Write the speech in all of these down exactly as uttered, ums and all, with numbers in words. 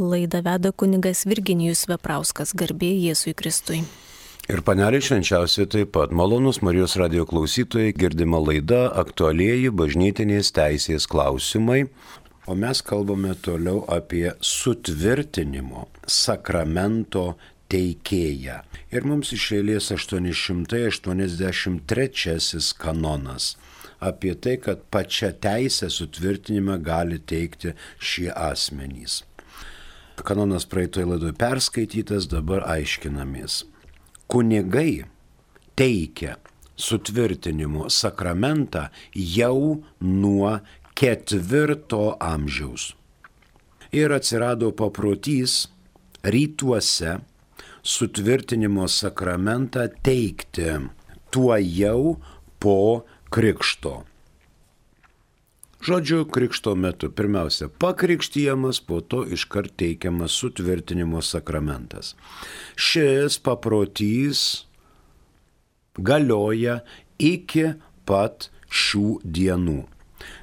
Laidą veda kunigas Virginijus Veprauskas, garbė Jėzui Kristui. Ir panelė švenčiausiai taip pat. Malonus Marijos radijo klausytojai, girdima laida aktualieji bažnytinės teisės klausimai. O mes kalbame toliau apie sutvirtinimo sakramento teikėją. Ir mums iš eilės aštuoni šimtai aštuoniasdešimt trečiasis kanonas. Apie tai, kad pačią teisę sutvirtinimą gali teikti šie asmenys. Kanonas praeitoje laidoje perskaitytas, dabar aiškinamės. Kunigai teikia sutvirtinimo sakramentą jau nuo ketvirto amžiaus. Ir atsirado paprotys rytuose sutvirtinimo sakramentą teikti tuo jau po krikšto. Žodžiu, krikšto metu pirmiausia pakrikštijamas, po to iškart teikiamas sutvirtinimo sakramentas. Šis paprotys galioja iki pat šių dienų.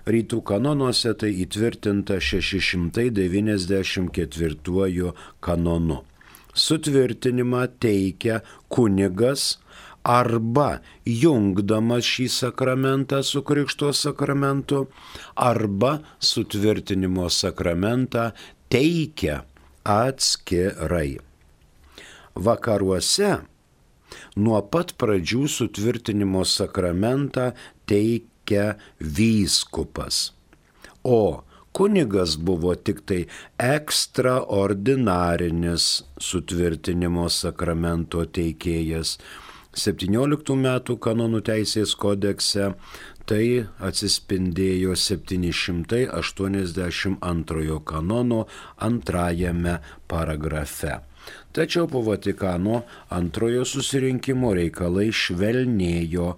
Rytų kanonuose tai įtvirtinta šeši šimtai devyniasdešimt ketvirtuoju kanonu. Sutvirtinimą teikia kunigas arba jungdamas šį sakramentą su krikšto sakramentu, arba sutvirtinimo sakramentą teikia atskirai. Vakaruose nuo pat pradžių sutvirtinimo sakramentą teikia vyskupas, o kunigas buvo tik tai ekstraordinarinis sutvirtinimo sakramento teikėjas. septynioliktų metų kanonų teisės kodekse tai atsispindėjo septyni šimtai aštuoniasdešimt antrojo kanono antrajame paragrafe. Tačiau po Vatikano antrojo susirinkimo reikalai švelnėjo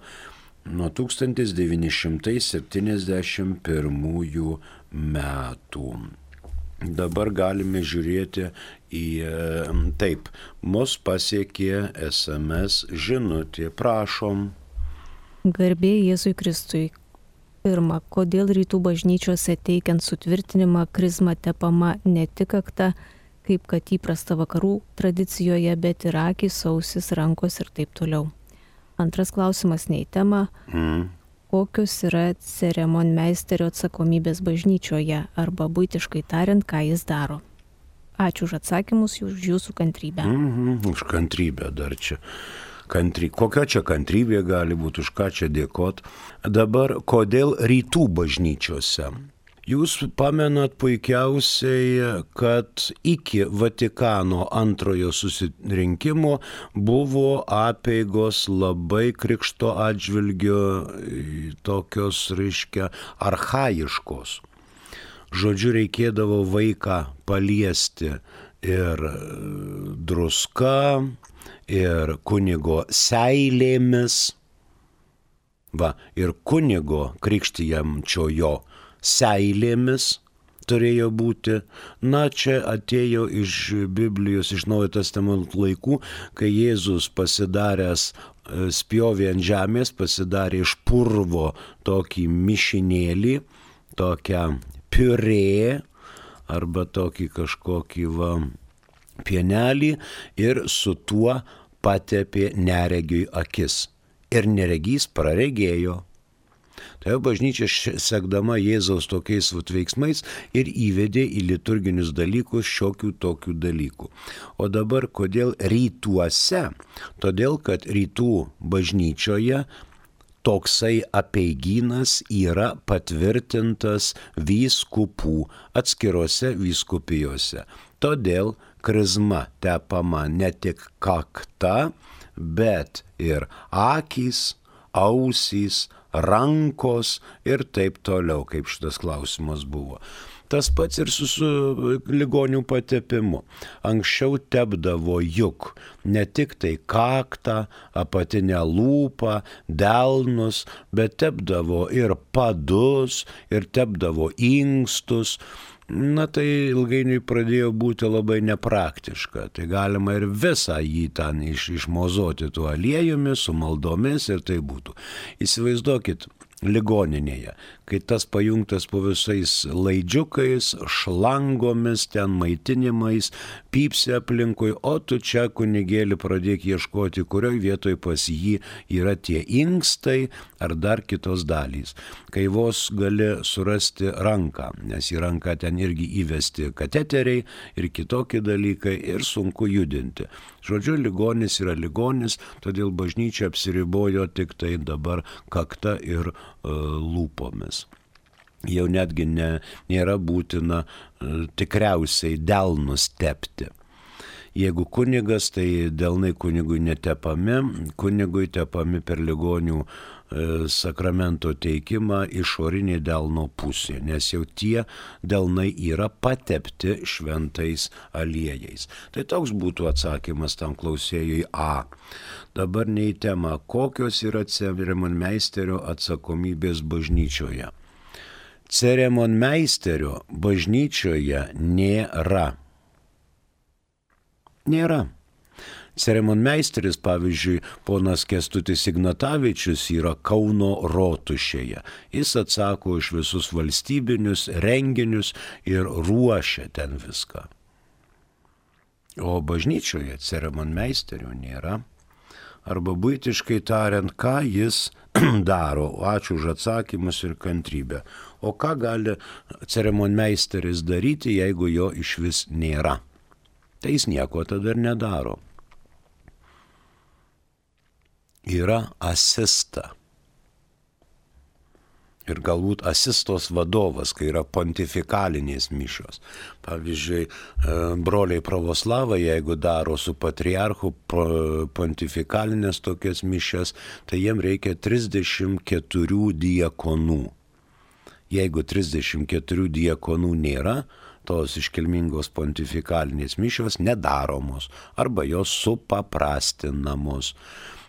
nuo tūkstantis devyni šimtai septyniasdešimt pirmųjų metų. Dabar galime žiūrėti į taip, mus pasiekė es em es žinutė, prašom. Garbė Jėzui Kristui. Pirma, kodėl rytų bažnyčiose teikiant sutvirtinimą krizma tepama ne tik kakta, kaip kad įprasta vakarų tradicijoje, bet ir akys, ausis, rankos ir taip toliau. Antras klausimas ne į temą. Mm. Kokios yra ceremonmeisterio atsakomybės bažnyčioje, arba buitiškai tariant, ką jis daro. Ačiū už atsakymus, už jūsų kantrybę. Mm-hmm, už kantrybę dar čia. Kantry... Kokia čia kantrybė gali būti, už ką čia dėkot. Dabar, kodėl rytų bažnyčiose? Jūs pamenat puikiausiai, kad iki Vatikano antrojo susirinkimo buvo apeigos labai krikšto atžvilgio tokios, reiškia, archaiškos. Žodžiu, reikėdavo vaiką paliesti ir druska, ir kunigo seilėmis, va, ir kunigo krikštijamčiojo seilėmis turėjo būti. Na, čia atėjo iš Biblijos, iš Naujojo testamento laikų, kai Jėzus pasidaręs spjovė ant žemės, pasidarė iš purvo tokį mišinėlį, tokią piurė, arba tokį kažkokį va, pienelį, ir su tuo patepė neregiui akis. Ir neregys praregėjo. Tai bažnyčia sekdama Jėzaus tokiais veiksmais ir įvedė į liturginius dalykus šiokių tokių dalykų. O dabar kodėl rytuose? Todėl, kad rytų bažnyčioje toksai apeigynas yra patvirtintas vyskupų atskirose vyskupijose. Todėl krizma tepama ne tik kakta, bet ir akys, ausys, rankos ir taip toliau, kaip šitas klausimas buvo. Tas pats ir su, su ligonių patepimu. Anksčiau tepdavo juk ne tik tai kaktą, apatinę lūpą, delnus, bet tepdavo ir padus, ir tepdavo inkstus. Na tai ilgainiui pradėjo būti labai nepraktiška. Tai galima ir visą jį ten iš, išmozoti tuo aliejumi, su maldomis ir tai būtų. Įsivaizduokit, ligoninėje, kai tas pajungtas po visais laidžiukais, šlangomis, ten maitinimais, pypsi aplinkui, o tu čia kunigėlį pradėk ieškoti, kurioj vietoj pas jį yra tie inkstai ar dar kitos dalys. Kai vos gali surasti ranką, nes į ranką ten irgi įvesti kateteriai ir kitokie dalykai ir sunku judinti. Žodžiu, ligonis yra ligonis, todėl bažnyčia apsiribojo tik tai dabar kakta ir uh, lūpomis. Jau netgi ne, nėra būtina uh, tikriausiai delnus tepti. Jeigu kunigas, tai delnai kunigui netepami, kunigui tepami per ligonių e, sakramento teikimą išorinė delno pusė, nes jau tie delnai yra patepti šventais aliejais. Tai toks būtų atsakymas tam klausėjui A. Dabar ne į temą, kokios yra ceremonmeisterio atsakomybės bažnyčioje. Ceremonmeisterio bažnyčioje nėra. Nėra. Ceremonmeisteris, pavyzdžiui, ponas Kęstutis Ignatavičius yra Kauno rotušėje. Jis atsako už visus valstybinius renginius ir ruošia ten viską. O bažnyčioje ceremonmeisterio nėra. Arba buitiškai tariant, ką jis daro. Ačiū už atsakymus ir kantrybę. O ką gali ceremonmeisteris daryti, jeigu jo išvis nėra? Tai jis nieko tada ir nedaro. Yra asista. Ir galbūt asistos vadovas, kai yra pontifikalinės mišios. Pavyzdžiui, broliai pravoslavai, jeigu daro su patriarchu pontifikalinės tokias mišias, tai jiem reikia trisdešimt keturių diakonų. Jeigu trisdešimt keturių diakonų nėra, tos iškilmingos pontifikalinės mišios nedaromos arba jos supaprastinamos.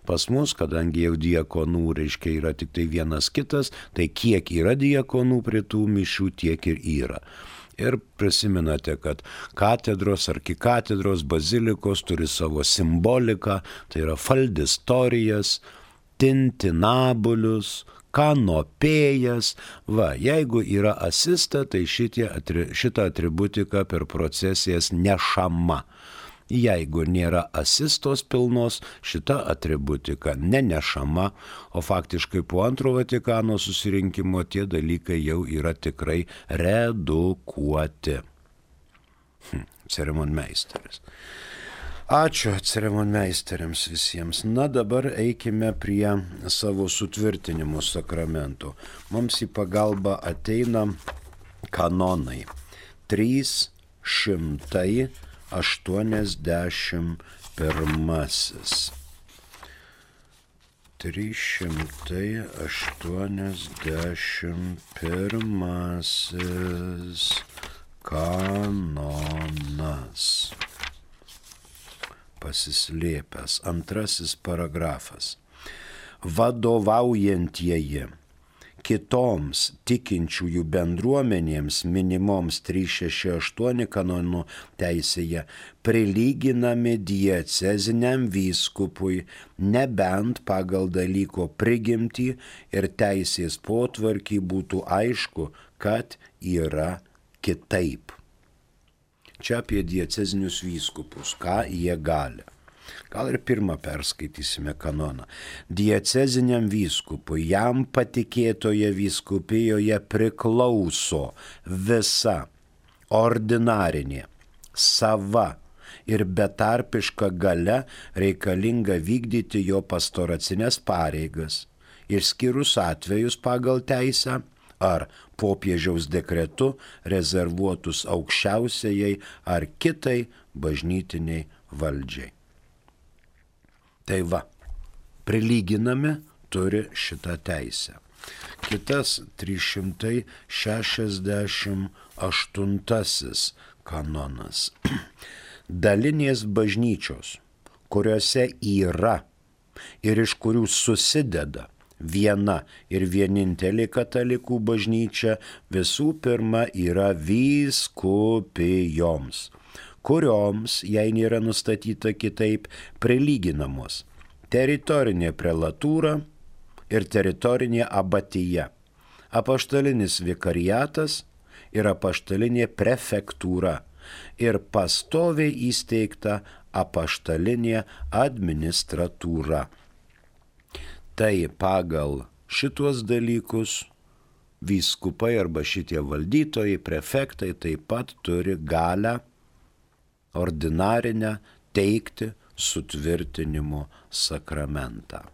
Pas mus, kadangi jau diakonų, reiškia, yra tik tai vienas kitas, tai kiek yra diakonų prie tų mišių, tiek ir yra. Ir prisimenate, kad katedros, arkikatedros, bazilikos turi savo simboliką, tai yra faldistorijas, tintinabulius, kanopėjas. Va, jeigu yra asista, tai šitie, šita atributika per procesijas nešama. Jeigu nėra asistos pilnos, šita atributika nenešama, o faktiškai po antro Vatikano susirinkimo tie dalykai jau yra tikrai redukuoti. Hm, ceremonmeisteris. Ačiū ceremonmeisteriams visiems. Na dabar eikime prie savo sutvirtinimo sakramento. Mums į pagalbą ateina kanonai. trys šimtai aštuoniasdešimt pirmasis. trys šimtai aštuoniasdešimt pirmasis kanonas. Pasislėpęs. Antrasis paragrafas. Vadovaujantieji kitoms tikinčiųjų bendruomenėms minimoms trys šeši aštuoni kanonų teisėje prilyginami dieceziniam vyskupui, nebent pagal dalyko prigimtį ir teisės potvarkį būtų aišku, kad yra kitaip. Čia apie diecezinius vyskupus, ką jie gali. Gal ir pirmą perskaitysime kanoną. Dieceziniam vyskupui, jam patikėtoje vyskupijoje priklauso visa ordinarinė, sava ir betarpiška galia reikalinga vykdyti jo pastoracinės pareigas, išskyrus atvejus pagal teisę ar popiežiaus dekretu rezervuotus aukščiausiajai ar kitai bažnytiniai valdžiai. Tai va, prilyginami turi šitą teisę. Kitas trys šimtai šešiasdešimt aštuntasis kanonas. Dalinės bažnyčios, kuriuose yra ir iš kurių susideda viena ir vienintelė katalikų bažnyčia, visų pirma yra vyskupijoms, kurioms, jei nėra nustatyta kitaip, prilyginamos teritorinė prelatūra ir teritorinė abatija, apaštalinis vikariatas ir apaštalinė prefektūra ir pastoviai įsteigta apaštalinė administratūra. Tai pagal šituos dalykus vyskupai arba šitie valdytojai, prefektai taip pat turi galę ordinarinę teikti sutvirtinimo sakramentą.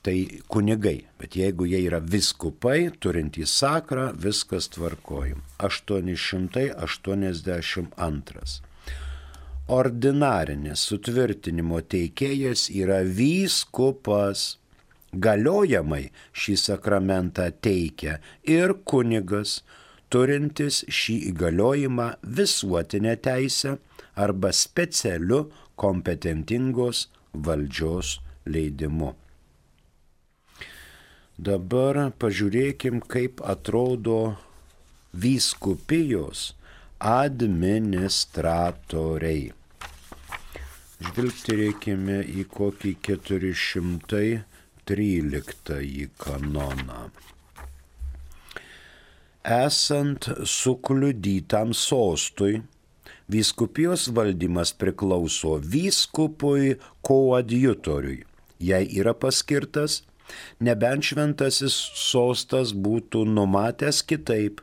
Tai kunigai, bet jeigu jie yra vyskupai, turintys sakrą, viskas tvarkoja. aštuoni šimtai aštuoniasdešimt antras. Ordinarinis sutvirtinimo teikėjas yra vyskupas. Galiojamai šį sakramentą teikia ir kunigas, turintis šį įgaliojimą visuotinę teisę arba specialiu kompetentingos valdžios leidimu. Dabar pažiūrėkim, kaip atrodo vyskupijos administratoriai. Žvilgterėkime į kokį keturi šimtai tryliktąjį kanoną. Esant sukliudytam sostui, vyskupijos valdymas priklauso vyskupui koadjutoriui, jei yra paskirtas, nebent šventasis sostas būtų numatęs kitaip.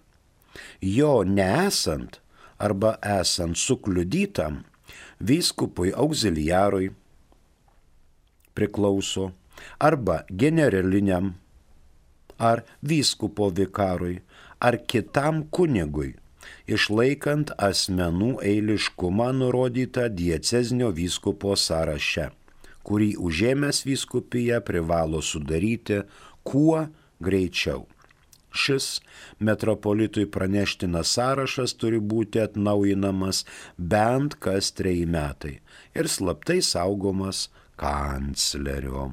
Jo neesant arba esant sukliudytam, vyskupui auxiliarui priklauso arba generaliniam, ar vyskupo vikarui, ar kitam kunigui, išlaikant asmenų eiliškumą nurodytą diecezinio vyskupo sąraše, kurį užėmęs vyskupiją privalo sudaryti kuo greičiau. Šis metropolitui praneštinas sąrašas turi būti atnaujinamas bent kas treji metai ir slaptai saugomas kanclerio.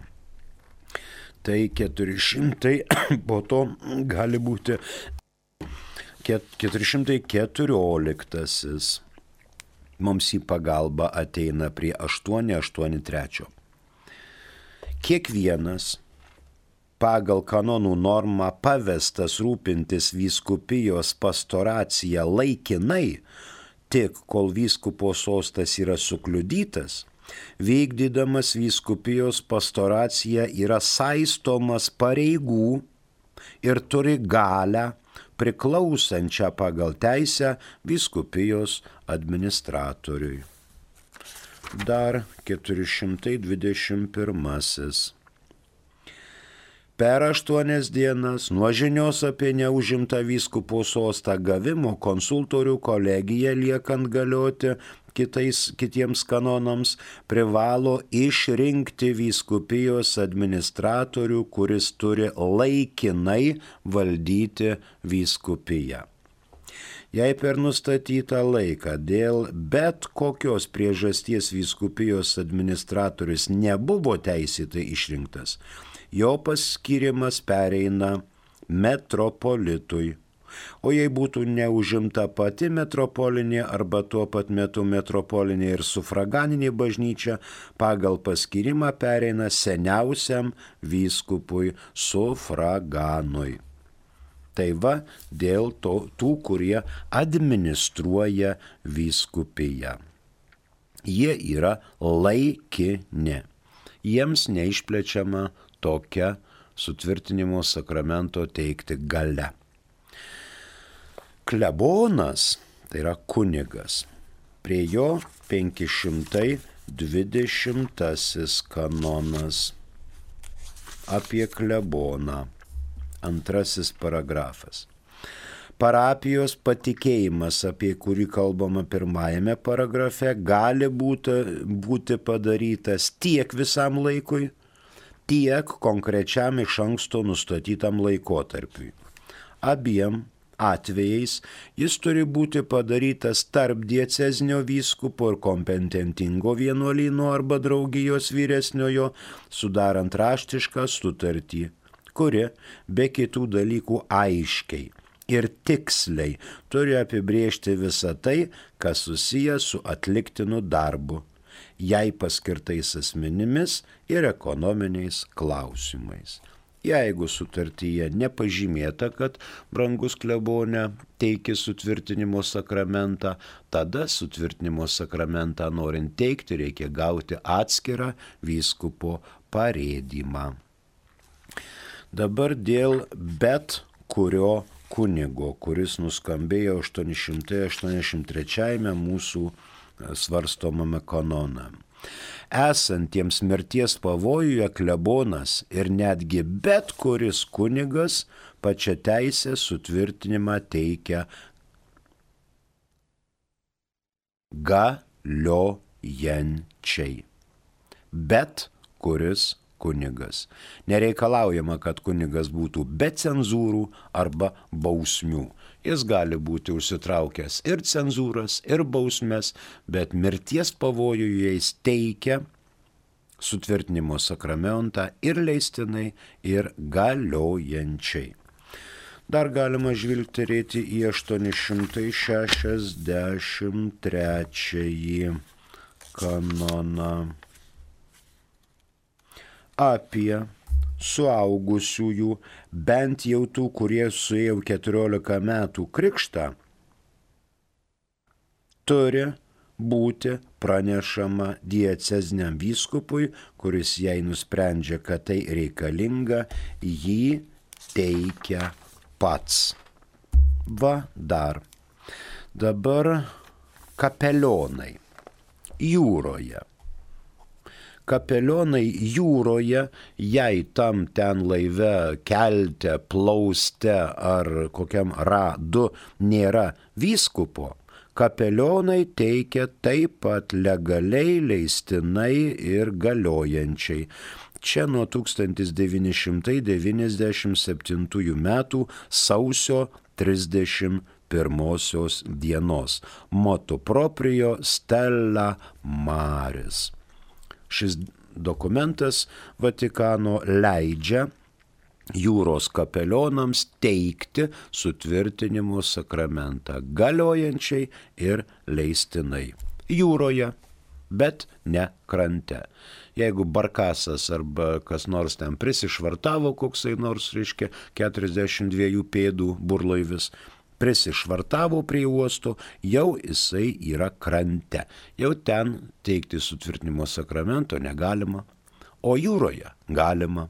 Tai keturi šimtai, po to gali būti keturi šimtai keturioliktasis. Mums į pagalbą ateina prie aštuoni aštuoni trečio. Kiekvienas pagal kanonų normą pavestas rūpintis vyskupijos pastoracija laikinai, tik kol vyskupo sostas yra sukliudytas, vykdydamas vyskupijos pastoraciją yra saistomas pareigų ir turi galę priklausančią pagal teisę vyskupijos administratoriui. Dar keturi šimtai dvidešimt pirmasis. Per aštuonias dienas nuo žinios apie neužimtą vyskupo sostą gavimo konsultorių kolegija liekant galioti kitais, kitiems kanonams privalo išrinkti vyskupijos administratorių, kuris turi laikinai valdyti vyskupiją. Jei per nustatytą laiką dėl bet kokios priežasties vyskupijos administratorius nebuvo teisėtai išrinktas, jo paskirimas pereina metropolitui. O jei būtų neužimta pati metropolinė arba tuo pat metu metropolinė ir sufraganinė bažnyčia, pagal paskirimą pereina seniausiam vyskupui sufraganui. Tai va dėl to, tų, kurie administruoja vyskupiją. Jie yra laikini. Jiems neišplečiama tokia sutvirtinimo sakramento teikti galia. Klebonas, tai yra kunigas, prie jo penki šimtai dvidešimtasis kanonas apie kleboną, antrasis paragrafas. Parapijos patikėjimas, apie kurį kalbama pirmajame paragrafe, gali būti, būti padarytas tiek visam laikui, tiek konkrečiam iš anksto nustatytam laikotarpiui. Abiem atvejais jis turi būti padarytas tarp diecezinio vyskupo ir kompetentingo vienuolyno arba draugijos vyresniojo, sudarant raštišką sutartį, kuri be kitų dalykų aiškiai ir tiksliai turi apibrėžti visą tai, kas susijęs su atliktinu darbu jai paskirtais asmenimis ir ekonominiais klausimais. Jeigu sutartyje nepažymėta, kad brangus klebone teiki sutvirtinimo sakramentą, tada sutvirtinimo sakramentą norint teikti reikia gauti atskirą vyskupo parėdymą. Dabar dėl bet kurio kunigo, kuris nuskambėjo aštuoni šimtai aštuoniasdešimt trečiajame mūsų svarstomame kanone. Esantiems mirties pavojuje klebonas ir netgi bet kuris kunigas pačią teisę sutvirtinimą teikia galiojančiai. Bet kuris kunigas. Nereikalaujama, kad kunigas būtų be cenzūrų arba bausmių. Jis gali būti užsitraukęs ir cenzūras, ir bausmes, bet mirties pavojuje jis teikia sutvirtinimo sakramentą ir leistinai, ir galiojančiai. Dar galima žvilgterėti į aštuoni šimtai šešiasdešimt trečiąjį kanoną apie suaugusiųjų, bent jau tų, kurie suėjo keturiolika metų krikštą, turi būti pranešama dieceziniam vyskupui, kuris jei nusprendžia, kad tai reikalinga, jį teikia pats. Va dar. Dabar kapelionai jūroje. Kapelionai jūroje, jei tam ten laive, kelte, plauste ar kokiam radu nėra vyskupo, kapelionai teikia taip pat legaliai, leistinai ir galiojančiai. Čia nuo tūkstantis devyni šimtai devyniasdešimt septintųjų metų sausio trisdešimt pirmosios dienos. Motu proprio stella maris. Šis dokumentas Vatikano leidžia jūros kapelionams teikti sutvirtinimo sakramentą galiojančiai ir leistinai. Jūroje, bet ne krante. Jeigu barkasas arba kas nors ten prisišvartavo, koksai nors, reiškia, keturiasdešimt dviejų pėdų burlaivis, prisišvartavo prie uosto, jau jisai yra krante. Jau ten teikti sutvirtinimo sakramento negalima, o jūroje galima.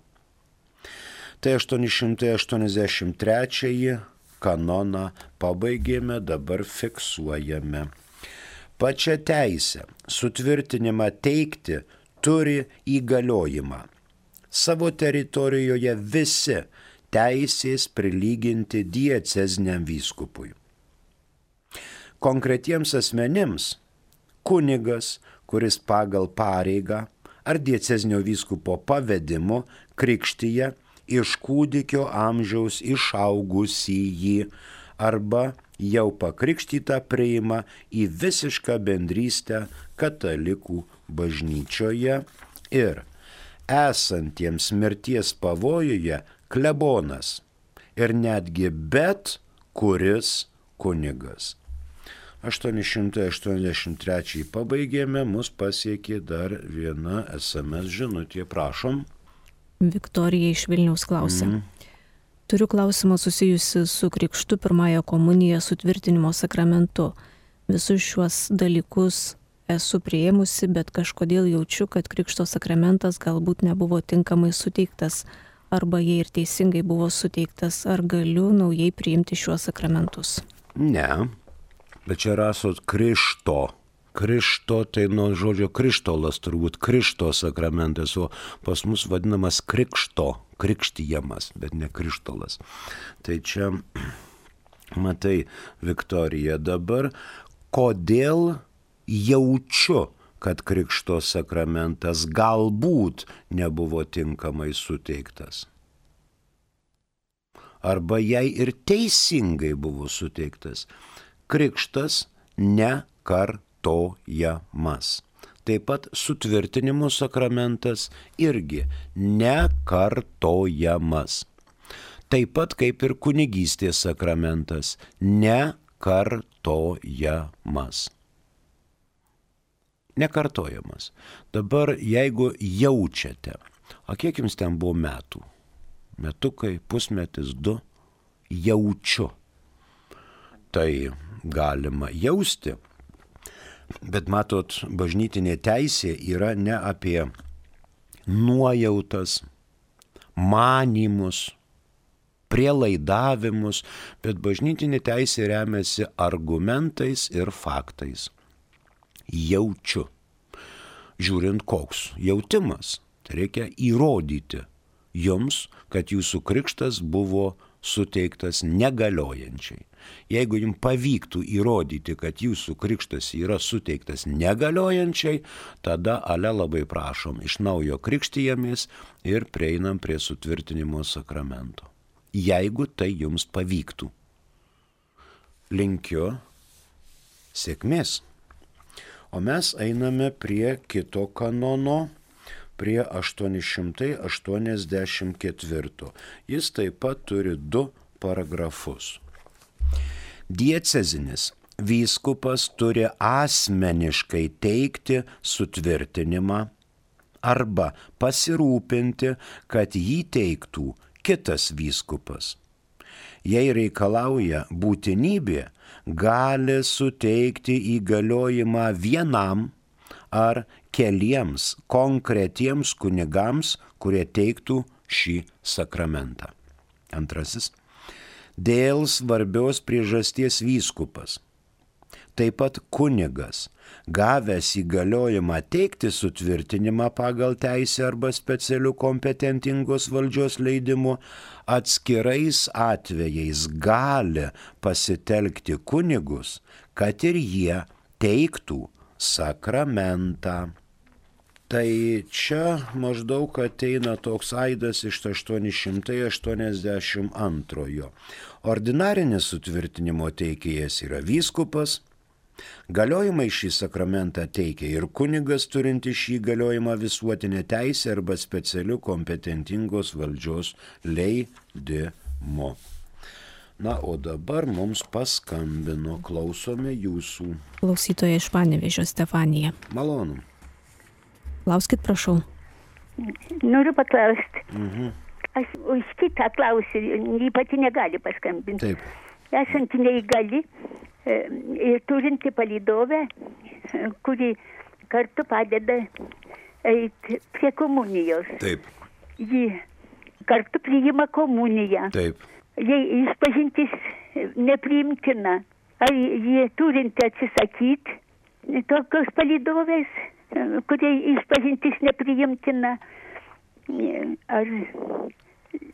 Tai aštuoni šimtai aštuoniasdešimt trečiąjį kanoną pabaigėme, dabar fiksuojame. Pačią teisę sutvirtinimą teikti turi įgaliojimą. Savo teritorijoje visi teisės prilyginti dieceziniam vyskupui. Konkretiems asmenims kunigas, kuris pagal pareigą ar diecezinio vyskupo pavedimu krikštyje iš kūdikio amžiaus išaugusįjį arba jau pakrikštytą priima į visišką bendrystę katalikų bažnyčioje ir esantiems mirties pavojuje klebonas ir netgi bet kuris kunigas. aštuoni šimtai aštuoniasdešimt trečiąjį pabaigėme, mus pasiekė dar viena es em es žinutė, prašom. Viktorija iš Vilniaus klausia. Mm. Turiu klausimą susijusi su krikštu, pirmąją komuniją, sutvirtinimo sakramentu. Visus šiuos dalykus esu priėmusi, bet kažkodėl jaučiu, kad krikšto sakramentas galbūt nebuvo tinkamai suteiktas, arba jei ir teisingai buvo suteiktas, ar galiu naujai priimti šiuos sakramentus? Ne, bet čia rasot krišto. Krišto tai nuo žodžio krištolas, turbūt krišto sakramentas, o pas mus vadinamas krikšto, krikštijamas, bet ne krištolas. Tai čia, matai, Viktorija, dabar kodėl jaučiu, kad krikšto sakramentas galbūt nebuvo tinkamai suteiktas. Arba jei ir teisingai buvo suteiktas. Krikštas nekartojamas. Taip pat sutvirtinimo sakramentas irgi nekartojamas. Taip pat kaip ir kunigystės sakramentas nekartojamas. Nekartojamas. Dabar jeigu jaučiate, o kiek jums ten buvo metų? Metukai, pusmetis, du, jaučiu. Tai galima jausti, bet matot, bažnytinė teisė yra ne apie nuojautas, manymus, prielaidavimus, bet bažnytinė teisė remiasi argumentais ir faktais. Jaučiu. Žiūrint, koks jautimas. Tai reikia įrodyti jums, kad jūsų krikštas buvo suteiktas negaliojančiai. Jeigu jums pavyktų įrodyti, kad jūsų krikštas yra suteiktas negaliojančiai, tada ale labai prašom, iš naujo krikštijamės ir prieinam prie sutvirtinimo sakramento. Jeigu tai jums pavyktų. Linkiu sėkmės. O mes einame prie kito kanono, prie aštuoni šimtai aštuoniasdešimt ketvirto. Jis taip pat turi du paragrafus. Diecezinis vyskupas turi asmeniškai teikti sutvirtinimą arba pasirūpinti, kad jį teiktų kitas vyskupas. Jei reikalauja būtinybė, gali suteikti įgaliojimą vienam ar keliems konkretiems kunigams, kurie teiktų šį sakramentą. Antrasis. Dėl svarbios priežasties vyskupas, taip pat kunigas, gavęs įgaliojimą teikti sutvirtinimą pagal teisę arba specialių kompetentingos valdžios leidimu, atskirais atvejais gali pasitelkti kunigus, kad ir jie teiktų sakramentą. Tai čia maždaug ateina toks aidas iš aštuoni šimtai aštuoniasdešimt antrojo. Ordinarinis sutvirtinimo teikėjas yra vyskupas. Galiojimai šį sakramentą teikia ir kunigas turinti šį galiojimą visuotinę teisę arba specialių kompetentingos valdžios leidimu. Na, o dabar mums paskambino, klausome jūsų. Klausytoja iš Panevėžio Stefanija. Malonu. Klauskit, prašau. Noriu paklausti. Mhm. Aš už kitą klausiu, jį pati negali paskambinti. Taip. Esant neįgali ir turinti palydovę, kuri kartu padeda eiti prie komunijos. Taip. Ji kartu priima komuniją. Taip. Jei išpažintis nepriimtina, ar jie turinti atsisakyti tokios palydovės, kurie išpažintis nepriimtina, ar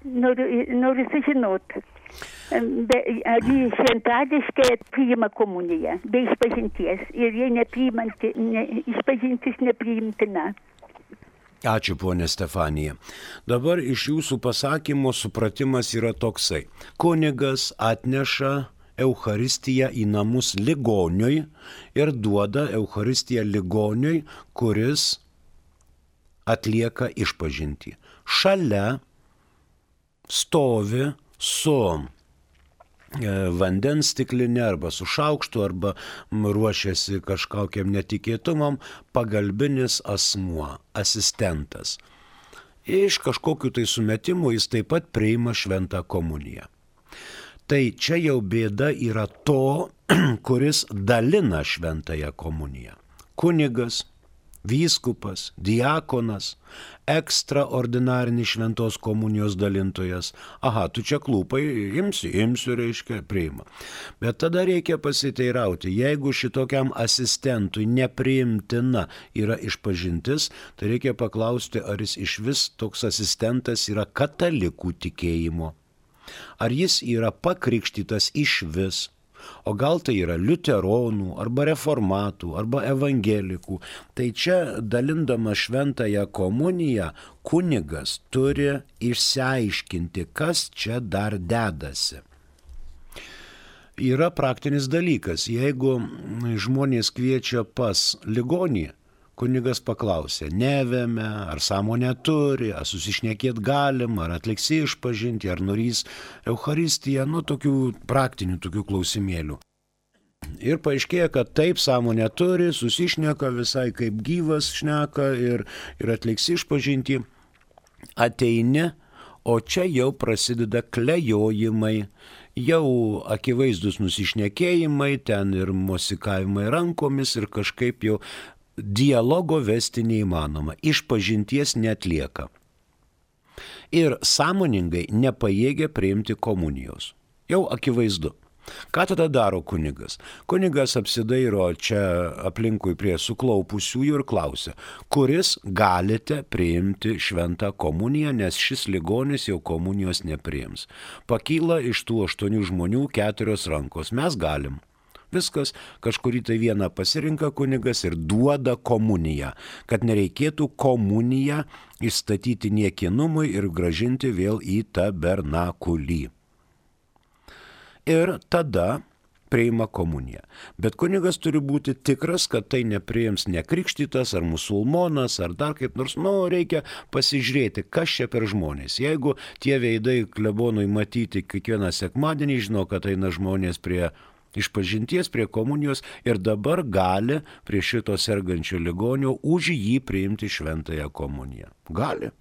noriu, noriu sužinoti, ar jie šventadiškai priima komuniją be išpažinties ir jie nepriimanti, ne, išpažintis nepriimtina. Ačiū, ponė Stefanija. Dabar iš jūsų pasakymo supratimas yra toksai. Kunigas atneša Eucharistiją į namus ligoniui ir duoda Eucharistiją ligoniui, kuris atlieka išpažintį. Šalia stovi su vandens stiklinė arba su šaukštu arba ruošiasi kažkokiam netikėtumam pagalbinis asmuo, asistentas. Iš kažkokių tai sumetimų jis taip pat priima šventą komuniją. Tai čia jau bėda yra to, kuris dalina šventąją komuniją. Kunigas, vyskupas, diakonas, ekstraordinarinis šventos komunijos dalintojas. Aha, tu čia klūpai, imsiu, imsiu, reiškia, priima. Bet tada reikia pasiteirauti, jeigu šitokiam asistentui nepriimtina yra išpažintis, tai reikia paklausti, ar jis iš vis toks asistentas yra katalikų tikėjimo. Ar jis yra pakrikštytas iš vis, o gal tai yra liuteronų, arba reformatų, arba evangelikų. Tai čia dalindama šventąją komuniją, kunigas turi išsiaiškinti, kas čia dar dedasi. Yra praktinis dalykas, jeigu žmonės kviečia pas ligonį, kunigas paklausė, nevėme, ar sąmonę turi, ar susišnekėt galim, ar atliksi išpažinti, ar norys Eucharistiją, nu tokių praktinių tokių klausimėlių. Ir paaiškėja, kad taip sąmonė turi, susišneka visai kaip gyvas šneka ir, ir atliks išpažinti. Ateini, o čia jau prasideda klejojimai, jau akivaizdus nusišnekėjimai, ten ir mosikavimai rankomis ir kažkaip jau dialogo vesti neįmanoma, išpažinties neatlieka. Ir sąmoningai nepajėgia priimti komunijos. Jau akivaizdu. Ką tada daro kunigas? Kunigas apsidairo čia aplinkui prie suklaupusiųjų ir klausia, kuris galite priimti šventą komuniją, nes šis ligonis jau komunijos nepriims. Pakyla iš tų aštuonių žmonių keturios rankos. Mes galim. Viskas, kažkurį tai vieną pasirinka kunigas ir duoda komuniją, kad nereikėtų komuniją įstatyti niekinumui ir gražinti vėl į tabernakulį. Ir tada priima komuniją. Bet kunigas turi būti tikras, kad tai nepriims nekrikštytas ar musulmonas ar dar kaip nors. Nu, reikia pasižiūrėti, kas čia per žmonės. Jeigu tie veidai klebonui matyti kiekvieną sekmadienį, žino, kad eina žmonės prie išpažinties, prie komunijos ir dabar gali prie šito sergančio ligonio už jį priimti šventąją komuniją. Gali.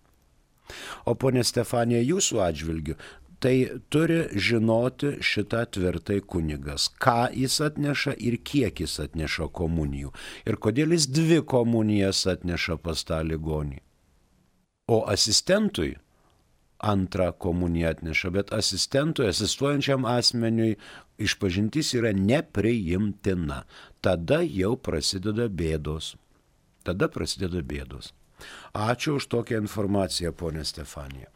O ponė Stefanija, jūsų atžvilgiu, tai turi žinoti šitą tvirtai kunigas, ką jis atneša ir kiek jis atneša komunijų. Ir kodėl jis dvi komunijas atneša pas tą ligonį. O asistentui antrą komuniją atneša, bet asistentui, asistuojančiam asmeniui išpažintis yra nepriimtina. Tada jau prasideda bėdos. Tada prasideda bėdos. Ačiū už tokią informaciją, ponė Stefanija.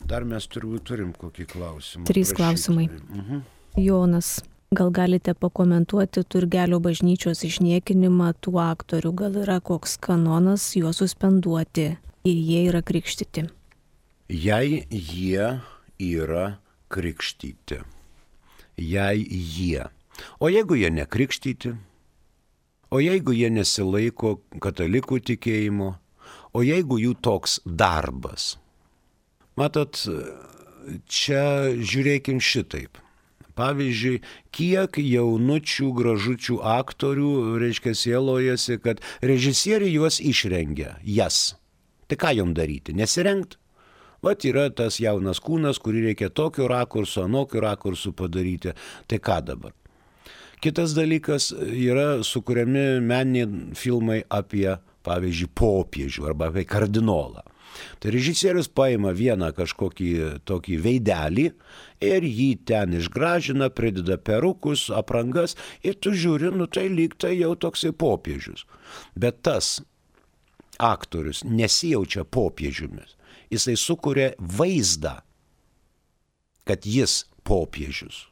Dar mes turbūt turim kokį klausimą. Trys klausimai. Mhm. Jonas, gal galite pakomentuoti Turgelio bažnyčios išniekinimą tų aktorių? Gal yra koks kanonas juos suspenduoti, jei jie yra krikštyti? Jei jie yra krikštyti. Jei jie. O jeigu jie nekrikštyti? O jeigu jie nesilaiko katalikų tikėjimo? O jeigu jų toks darbas? Matot, čia žiūrėkim šitaip. Pavyzdžiui, kiek jaunučių, gražučių aktorių, reiškia, sielojasi, kad režisieriai juos išrengia, jas. Tai ką jom daryti? Nesirengt? Vat yra tas jaunas kūnas, kurį reikia tokio rakurso, anokio rakursu padaryti. Tai ką dabar? Kitas dalykas, yra sukuriami meniniai filmai apie, pavyzdžiui, popiežių arba apie kardinolą. Tai režisierius paima vieną kažkokį tokį veidelį ir jį ten išgražina, prideda perukus, aprangas ir tu žiūri, nu tai lyg tai jau toksai popiežius. Bet tas aktorius nesijaučia popiežiumis. Jisai sukuria vaizdą, kad jis popiežius.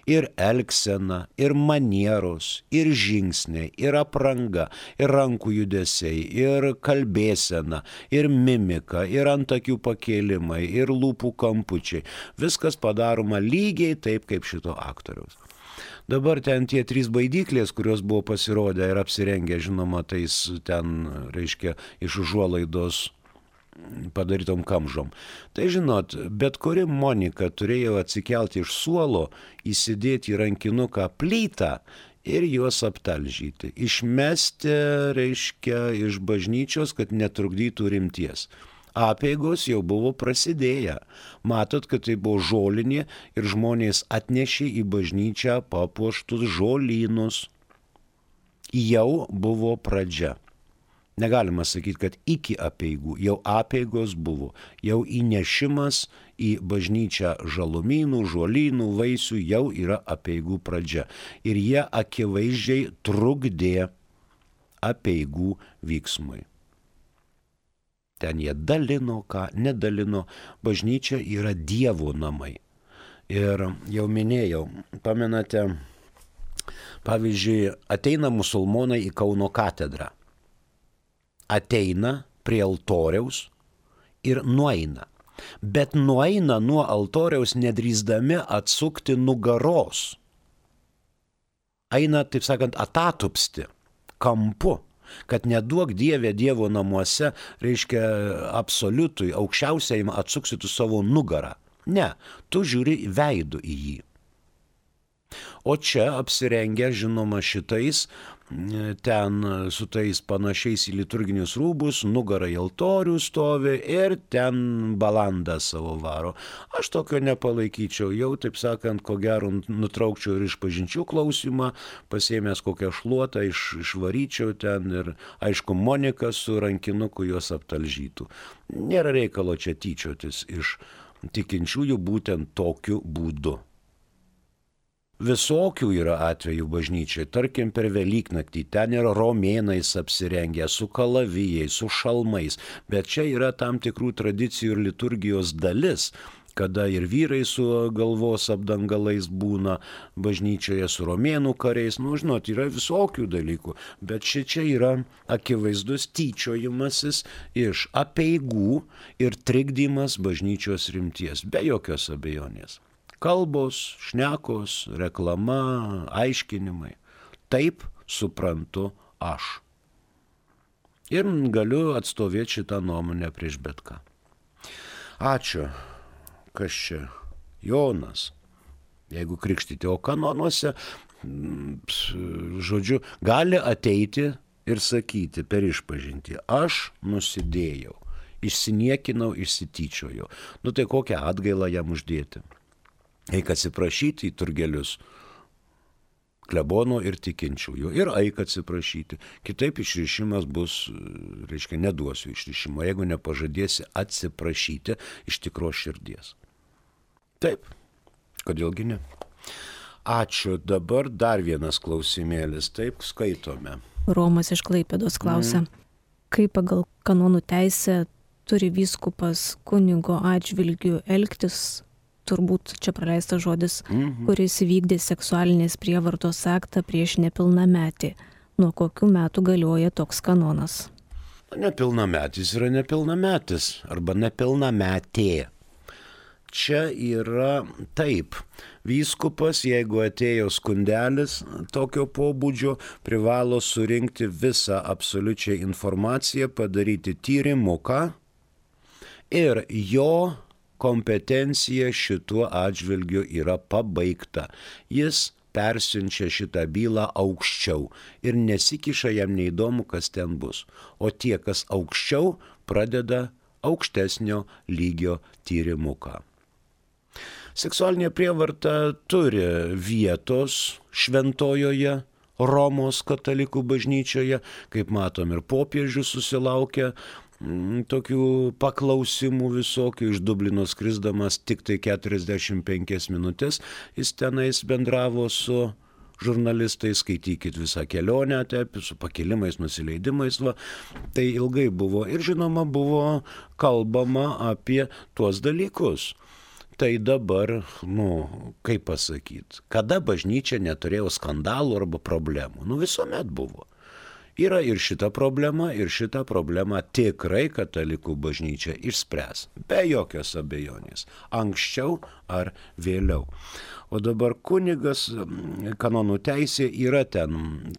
Ir elgsena, ir manieros, ir žingsniai, ir apranga, ir rankų judesiai, ir kalbėsena, ir mimika, ir antakių pakėlimai, ir lūpų kampučiai. Viskas padaroma lygiai taip, kaip šito aktoriaus. Dabar ten tie trys baidyklės, kurios buvo pasirodę ir apsirengę, žinoma, tais ten, reiškia, iš užuolaidos padarytom kamžom. Tai žinot, bet kuri Monika turėjo atsikelti iš suolo, įsidėti į rankinuką plytą ir juos aptalžyti. Išmesti, reiškia, iš bažnyčios, kad netrukdytų rimties. Apeigos jau buvo prasidėję. Matot, kad tai buvo žolinė ir žmonės atnešė į bažnyčią papuoštus žolynus. Jau buvo pradžia. Negalima sakyti, kad iki apeigų, jau apeigos buvo, jau įnešimas į bažnyčią žalumynų, žolynų, vaisių jau yra apeigų pradžia. Ir jie akivaizdžiai trukdė apeigų vyksmui. Ten jie dalino, ką nedalino, bažnyčia yra Dievo namai. Ir jau minėjau, pamenate, pavyzdžiui, ateina musulmonai į Kauno katedrą. Ateina prie altoriaus ir nueina. Bet nueina nuo altoriaus nedrįsdami atsukti nugaros. Eina, taip sakant, atatupsti, kampu, kad neduok Dieve Dievo namuose, reiškia absoliutui, aukščiausiajam atsuksitų savo nugarą. Ne, tu žiūri veidų į jį. O čia apsirengę, žinoma, šitais, ten su tais panašiais į liturginius rūbus, nugara į altorių stovi ir ten balandą savo varo. Aš tokio nepalaikyčiau, jau, taip sakant, ko gero nutraukčiau ir išpažinčių klausimą, pasiėmęs kokią šluotą, iš, išvaryčiau ten ir, aišku, Monika su rankinuku juos aptalžytų. Nėra reikalo čia tyčiotis iš tikinčiųjų būtent tokiu būdu. Visokių yra atvejų bažnyčiai, tarkim per Velyknaktį, ten yra romėnais apsirengę, su kalavijais, su šalmais, bet čia yra tam tikrų tradicijų ir liturgijos dalis, kada ir vyrai su galvos apdangalais būna bažnyčioje, su romėnų kariais, nu žinot, yra visokių dalykų, bet šičia yra akivaizdus tyčiojimasis iš apeigų ir trikdymas bažnyčios rimties, be jokios abejonės. Kalbos, šnekos, reklama, aiškinimai. Taip suprantu aš. Ir galiu atstovėti šitą nuomonę prieš bet ką. Ačiū. Kas čia? Jonas. Jeigu krikštyti, o kanonuose, žodžiu, gali ateiti ir sakyti per išpažintį. Aš nusidėjau, išsiniekinau, išsityčiojau. Nu tai kokią atgailą jam uždėti? Eik atsiprašyti į turgelius klebono ir tikinčiųjų. Ir eik atsiprašyti. Kitaip išrišimas bus, reiškia, neduosiu išrišimo, jeigu nepažadėsi atsiprašyti iš tikros širdies. Taip, kodėlgi ne? Ačiū. Dabar dar vienas klausimėlis. Taip, skaitome. Romas iš Klaipėdos klausia. Mm. Kaip pagal kanonų teisę turi vyskupas kunigo atžvilgiu elgtis, turbūt čia praleistas žodis, mhm. kuris įvykdė seksualinės prievartos aktą prieš nepilnametį. Nuo kokių metų galioja toks kanonas? Nepilnametis yra nepilnametis arba nepilnametė. Čia yra taip. Vyskupas, jeigu atėjo skundelis tokio pobūdžio, privalo surinkti visą absoliučią informaciją, padaryti tyrimuką ir jo kompetencija šituo atžvilgiu yra pabaigta. Jis persiunčia šitą bylą aukščiau ir nesikiša, jam neįdomu, kas ten bus. O tie, kas aukščiau, pradeda aukštesnio lygio tyrimuką. Seksualinė prievarta turi vietos šventojoje Romos katalikų bažnyčioje, kaip matom, ir popiežius susilaukia tokių paklausimų visokių, iš Dublino skrisdamas tik tai keturiasdešimt penkias minutės, jis tenais bendravo su žurnalistais, skaitykit visą kelionę, taip, su pakilimais, nusileidimais, va, tai ilgai buvo ir žinoma buvo kalbama apie tuos dalykus. Tai dabar, nu, kaip pasakyti, kada bažnyčia neturėjo skandalų arba problemų, nu visuomet buvo. Yra ir šita problema, ir šitą problemą tikrai katalikų bažnyčia išspręs, be jokios abejonės, anksčiau ar vėliau. O dabar kunigas, kanonų teisė yra ten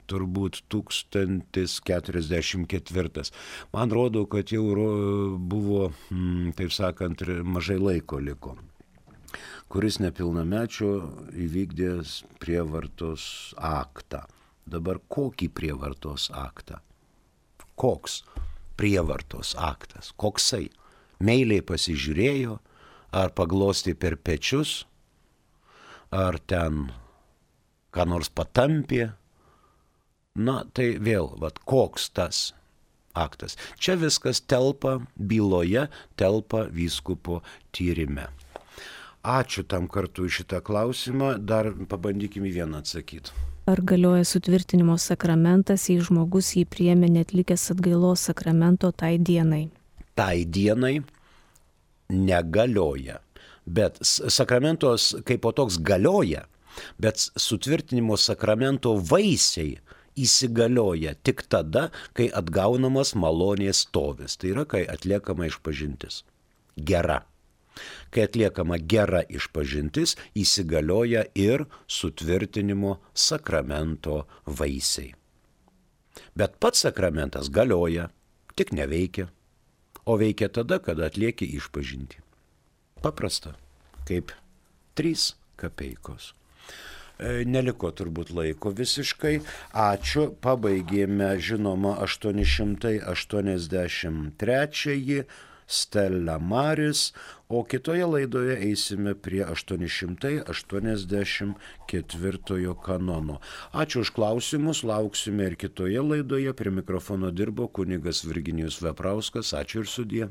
turbūt tūkstantis keturiasdešimt ketvirtas. Man rodo, kad jau buvo, taip sakant, mažai laiko liko, kuris nepilnamečio įvykdęs prievartos aktą. Dabar kokį prievartos aktą? Koks prievartos aktas? Koksai? Meiliai pasižiūrėjo, ar paglostė per pečius, ar ten ką nors patampė? Na, tai vėl, vat, koks tas aktas? Čia viskas telpa byloje, telpa vyskupo tyrime. Ačiū tam kartu iš šitą klausimą, dar pabandykime vieną atsakyti. Ar galioja sutvirtinimo sakramentas, jei žmogus jį priėmė neatlikęs atgailos sakramento tai dienai? Tai dienai negalioja, bet sakramentos kaip po toks galioja, bet sutvirtinimo sakramento vaisiai įsigalioja tik tada, kai atgaunamas malonės stovis, tai yra, kai atliekama išpažintis. Gera. Kai atliekama gera išpažintis, įsigalioja ir sutvirtinimo sakramento vaisiai. Bet pats sakramentas galioja, tik neveikia, o veikia tada, kada atlieki išpažintį. Paprasta, kaip trys kapeikos. Neliko turbūt laiko visiškai. Ačiū. Pabaigėme, žinoma, aštuoni šimtai aštuoniasdešimt trečiąjį Stella Maris, o kitoje laidoje eisime prie aštuoni šimtai aštuoniasdešimt ketvirtojo kanono. Ačiū už klausimus, lauksime ir kitoje laidoje. Prie mikrofono dirbo kunigas Virginijus Veprauskas. Ačiū ir sudie.